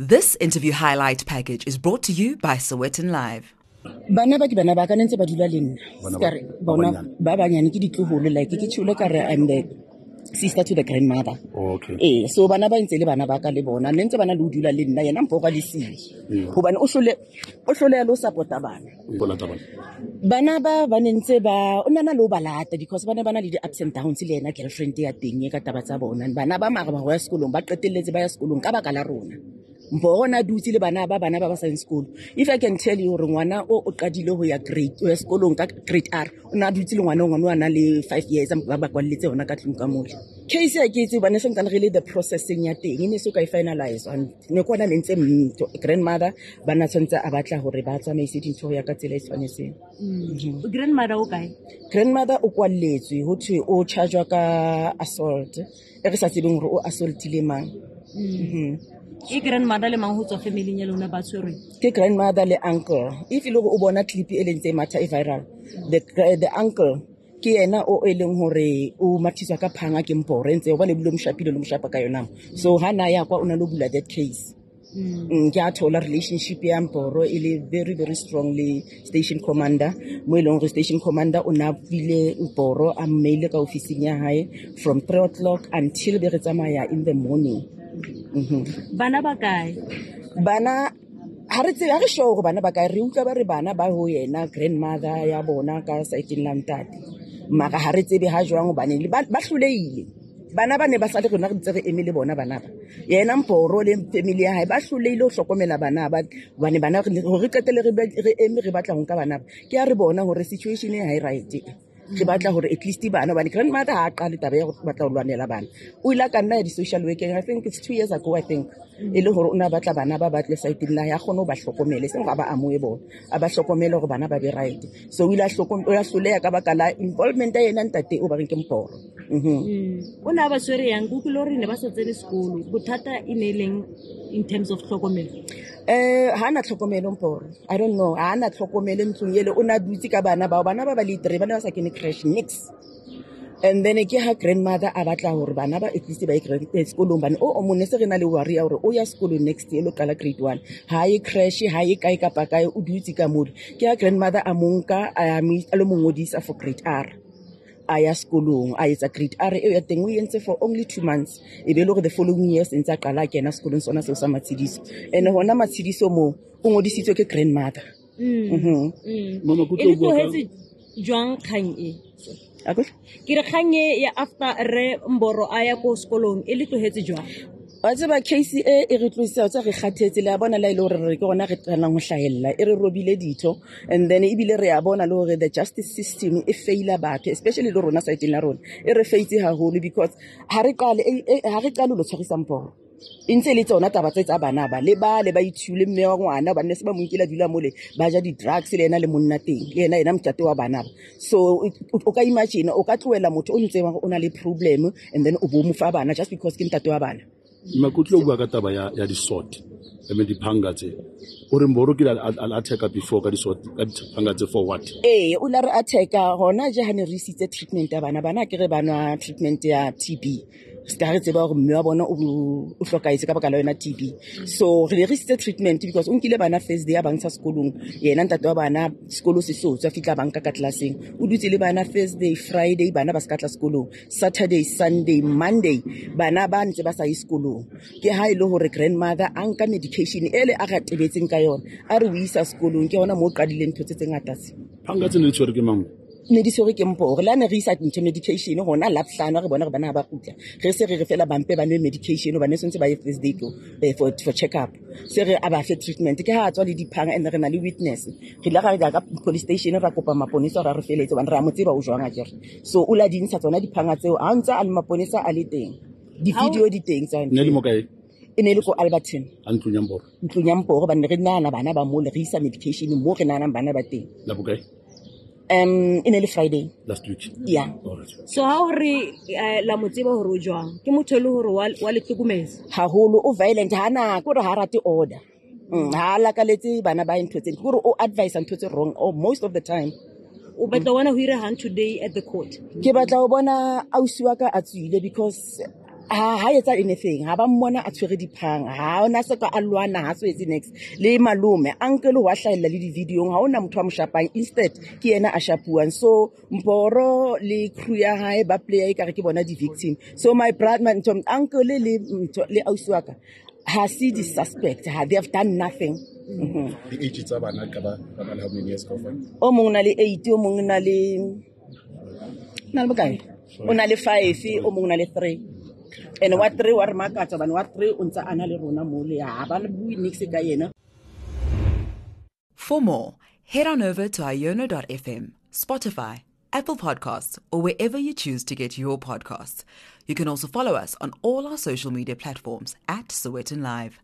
This interview highlight package is brought to you by Sowetan Live. Bana ba ke bana ba ka, ne ntse ba dula le nna. Bana Ka re bona ba ba banyane ke ditloholo, like ke tjholo ka re I'm the sister to the grandmother. Okay. Ee, so bana ba ntse le bana ba ka le bona ne ntse bana le ho dula le nna, yena Mporo a le siyo, hobane o hloleha le ho support-a bana. Bo lata bana. Bana ba ba ne ntse ba o nana le ho ba lata because ba ne ba na le di-ups and downs le yena girlfriend ya teng e ka taba tsa bona. Bana ba mara ba ho ya sekolong, ba qetelletse ba ya sekolong ka baka la rona. Mporo na dutse le bana ba, bana ba ba sa yeng sekolo. If I can tell you hore ngwana o qadile ho ya grade, ho ya sekolong ka grade R, o na dutse le ngwana o, ngwana o a na le 5 years, ba ba kwalletse hona ka tlung ka mole. Case ya ke itse hobane se ntsane re le the processing ya teng, e ne so ka e finalize. And ne ke ona ne ntse grandmother ba na tshwantse a batla hore ba tsamaise dintho ho ya ka tsela e tshwanetseng. Grandmother o kae? Grandmother o kwalletswe, ho thwe o charge-wa ka assault, e re sa tsebeng hore o assaultile mang. Ke grandmother le mang ho tswa family ya lona ba tshwerweng? Ke grandmother le uncle. If e le hore o bona clip e leng tse matha e viral, the uncle ke yena o e leng hore o mathiswa ka phanga ke Mporo, ntse hobane ebile o mo shapile le mo shapa ka yona. So ha na ya kwa o na le ho bula that case. Ke a thola relationship ya Mporo e le very very strong le station commander, mo e leng hore station commander o na buile Mporo a mmeile ka ofising ya hae from 3 o'clock until be re tsamaya in the morning. Bana ba kae? Bana ha re tsebe, ha re sure hore bana ba kae, re utlwa ba re bana ba ho yena grandmother ya bona ka saeteng la ntate. Mara ha re tsebe ha jwang hobane le ba hlolehile. Bana ba ne ba sale rona re ntse re eme le bona bana ba. Yena Mporo le family ya hae ba hlolehile ho hlokomela bana ba, hobane bana re hore re qetelle re eme re batla ho nka bana ba. Ke ha re bona hore situation e ha e right. Re batla hore at least bana, hobane grandmother ha a qale taba ya ho batla ho lwanela bana. O ile a ka nna ya di-social working, I think it's 2 years ago, I think. E le hore o na batla bana ba batle saeteng la hae, a kgone ho ba hlokomele, eseng hore a ba amohe bona, a ba hlokomele hore bana ba be right. So o ile o ile a hloleha ka baka la involvement ya yena ntate o ba reng ke Mporo. O ne a ba tshwere yang? Ke utlwile hore ne ba sa tsene sekolo. Bothata e ne e leng in terms of tlhokomelo? Ha na tlhokomelo Mporo. I don't know. Ha na tlhokomelo ntlong ele, o na dutse ka bana bao. Bana ba ba le 3, ba ne ba sa kene creche nix. And then ke ha grandmother a batla hore bana ba at least ba ye sekolong, bane o mone se re na le worry ya hore o ya sekolong next year, lo qala grade 1. Ha ye creche, ha ye kae kapa kae, o dutse ka mole. Ke ha grandmother a mo nka, a mo a lo mo ngodisa for grade R. A ya sekolong, a etsa grade R eo ya teng, o entse for only 2 months. E be le hore the following year se ntse a qala a kena sekolong sona seo sa Matshidiso. And hona Matshidiso moo, o ngodisitswe ke grandmother. Mama, ke E le tlo bua ka tlohetse jwang kgang e? Akwe? Ke re kgang e ya after re Mboro a ya ko sekolong, e le tlohetse jwang? Wa tseba case e, e re tlosa, wa tseba re kgathetse, le a bona la e le hore re ke rona re qalang ho hlahella, e re robile ditho. And then ebile re a bona le hore the justice system e faila batho, especially le rona saeteng la rona, e re faitse haholo because ha re qale, e, e, ha re qale ho lo tshwarisa Mporo. E ntse le tsona taba tse tsa bana ba, le ba le ba ithule mme wa ngwana, ba ne se ba mo nkile a dula mole, ba ja di-drugs le yena le monna teng, le yena, yena motate wa bana ba. So o ka imagine, o ka tlohela motho o ntse o na le problem and then o bo mo fa bana just because ke ntate wa bana. Makutlo o bua ka taba ya di-sword, I mean diphanga tse. O re Mboro kile a attack-a before ka di-sword, ka diphanga tse for what? Ee, o la re attack-a hona je ha ne re isitse treatment ya bana. Bana ke re ba nwa treatment ya TB. Se ka re tseba hore mme wa bona o hlokahetse ka baka la yona TB. So re ne re isitse treatment because o nkile bana first day a ba ntsha sekolong. Yena ntate wa bana sekolo se so tswa fihla ba nka ka classeng. O dutse le bana first day, Friday bana ba se ka tla sekolong. Saturday, Sunday, Monday bana ba ntse ba sa ye sekolong. Ke ha e le hore grandmother a nka medication ele a re tebetseng ka yona, a re o isa sekolong, ke hona moo o qadileng ntho tse tse ngata tse. Phanga tse ne di tshwerwe ke mang? Ne di tshwerwe ke Mporo. Le ha ne re isa ntho medication hona Labohlano, re bona re bana ha ba kgutla. Re se re re fela ba mpe ba nwe medication, hobane se ntse ba ye first day for check up. Se re a ba fe treatment. Ke ha a tswa le diphanga and re na le witness. Re ile ra ya ka police station ra kopa maponesa hore a re feletse, hobane re a mo tseba o jwang akere. So o la di ntsha tsona diphanga tseo, ha ntse a le maponesa a le teng. Di-video di teng tsa Ne le mo kae? E ne le ko Alberton. A ntlong ya Mporo. Ntlong ya Mporo, hobane re nahana bana ba mole, re isa medication moo re nahanang bana ba teng. La bokae? E ne le Friday. Last week. Yeah. All right. So ha o re, la mo tseba hore o jwang? Ke motho e le hore wa le hlokometse? Haholo, o violent, ha na, ke hore ha rate order. Ha lakaletse bana ba ntho tse, ke hore o advise ntho tse wrong, or most of the time. O batla ho bona ho ira hang today at the court? Ke batla ho bona ausi wa ka a tswile because Ha etsa anything, ha ba mmona a tshwere diphang, ha ona se ka a lwana, ha so etse next. Le malome uncle wa hlahella le di-videong, ha ona motho a mo shapang, instead ke yena a shapuwang. So Mboro le crew ya hae ba player ekare ke bona di-victim. So my brother, my ntho, uncle le ntho, le ausi wa ka ha se di-suspect, ha they have done nothing. Di-age tsa bana ka ba ba na le how many years kaofela? O mong o na le 8, o mong o na le bokae? O na le 5, o mong o na le 3. And wa 3 wa re makatsa hobane wa 3 o ntse a na le rona mo le, ha ba bue niks ka yena. For more, head on over to iono.fm, Spotify, Apple Podcasts, or wherever you choose to get your podcasts. You can also follow us on all our social media platforms at Sowetan Live.